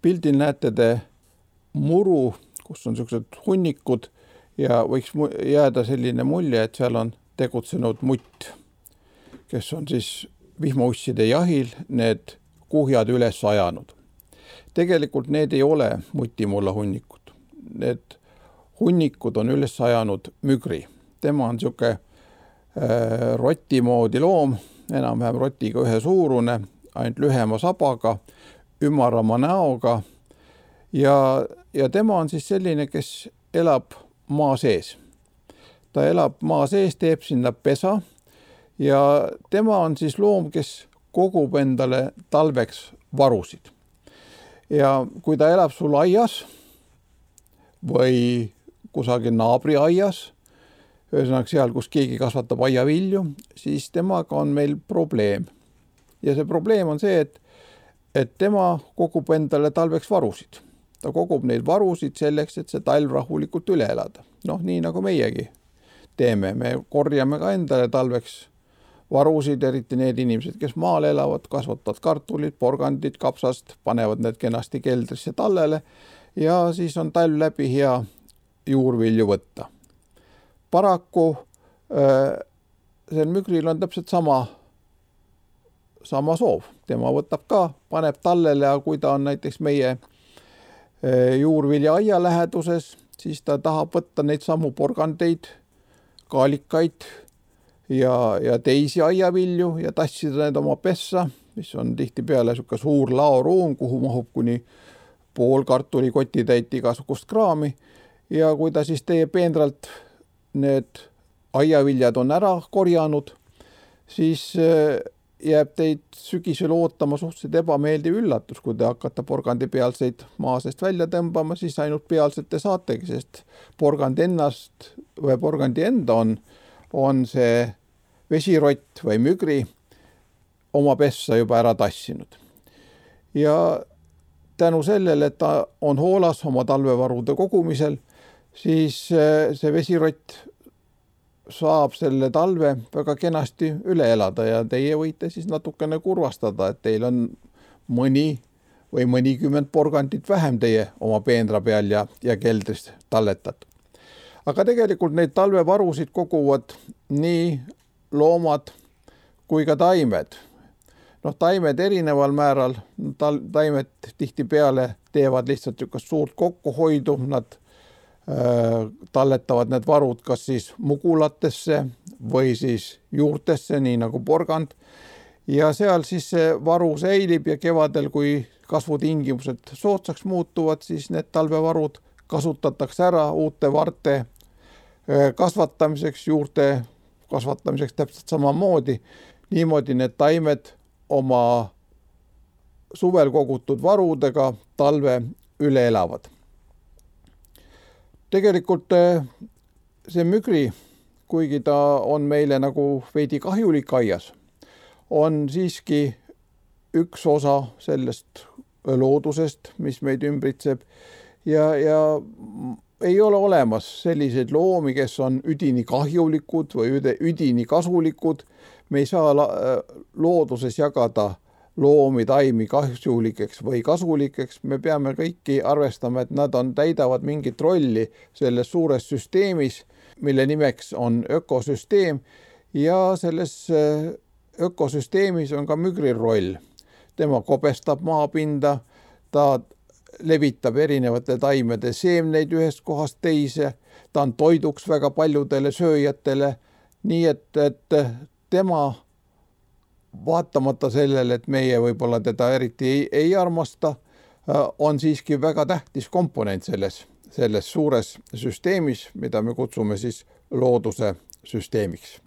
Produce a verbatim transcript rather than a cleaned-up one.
Pildil näete te muru, kus on sellised hunnikud ja võiks jääda selline mulje, et seal on tegutsenud mutt, kes on siis vihmausside jahil need kuhjad üles ajanud. Tegelikult need ei ole mutimulla hunnikud. Need hunnikud on üles ajanud mügri. Tema on siuke äh, roti moodi loom, enam-vähem rotiga ühe suurune, ainult lühema sabaga, ümarama näoga ja, ja tema on siis selline, kes elab maa sees. Ta elab maa sees, teeb sinna pesa ja tema on siis loom, kes kogub endale talveks varusid. Ja kui ta elab sul aias või kusagil naabri aias, ühesõnaga seal, kus keegi kasvatab aiavilju, siis temaga on meil probleem. Ja see probleem on see, et, et tema kogub endale talveks varusid. Ta kogub neid varusid selleks, et see talv rahulikult üle elada. Noh, nii nagu meiegi teeme. Me korjame ka endale talveks varusid, eriti need inimesed, kes maal elavad, kasvatavad kartulid, porgandid, kapsast, panevad need kenasti keldrisse tallele ja siis on talv läbi hea juurvilju võtta. Paraku äh, see mügril on täpselt sama, sama soov. Tema võtab ka, paneb tallele ja kui ta on näiteks meie äh, juurvilja aia läheduses, siis ta tahab võtta neid samu porgandeid, kaalikaid ja, ja teisi aiavilju ja tassida need oma pessa, mis on tihti peale suke suur laoruum, kuhu mahub kuni pool kartulikoti täit igasugust kraami. Ja kui ta siis teie peenralt need aiaviljad on ära korjanud, siis jääb teid sügisel ootama suhteliselt ebameeldiv üllatus, kui te hakkate porgandi pealseid maasest välja tõmbama, siis ainult pealsete saategi, sest porgandi ennast või porgandi enda on, on see vesirott või mügri oma pessa juba ära tassinud. Ja tänu sellele, et ta on hoolas oma talvevarude kogumisel, siis see vesirott saab selle talve väga kenasti üle elada ja teie võite siis natukene kurvastada, et teil on mõni või mõnikümmend porgandit vähem teie oma peenra peal ja, ja keldrist talletat. Aga tegelikult neid talvevarusid koguvad nii loomad kui ka taimed. Noh, taimed erineval määral, taimed tihti peale teevad lihtsalt ükast suurt kokkuhoidu, nad talletavad need varud kas siis mugulatesse või siis juurtesse, nii nagu porgand. Ja seal siis see varu säilib ja kevadel, kui kasvutingimused soodsaks muutuvad, siis need talvevarud kasutatakse ära uute varte kasvatamiseks, juurte kasvatamiseks täpselt samamoodi. Niimoodi need taimed oma suvel kogutud varudega talve üle elavad. Tegelikult see mügri, kuigi ta on meile nagu veidi kahjulik aias, on siiski üks osa sellest loodusest, mis meid ümbritseb ja, ja ei ole olemas selliseid loomi, kes on üdini kahjulikud või üdini kasulikud. Me ei saa looduses jagada loomi, taimi kahjulikeks või kasulikeks. Me peame kõiki arvestama, et nad on, täidavad mingit rolli selles suures süsteemis, mille nimeks on ökosüsteem ja selles ökosüsteemis on ka mügri roll. Tema kobestab maapinda, ta levitab erinevate taimede seemneid ühest kohast teise, ta on toiduks väga paljudele sööjatele, nii et, et tema vaatamata sellele, et meie võib-olla teda eriti ei, ei armasta, on siiski väga tähtis komponent selles, selles suures süsteemis, mida me kutsume siis looduse süsteemiks.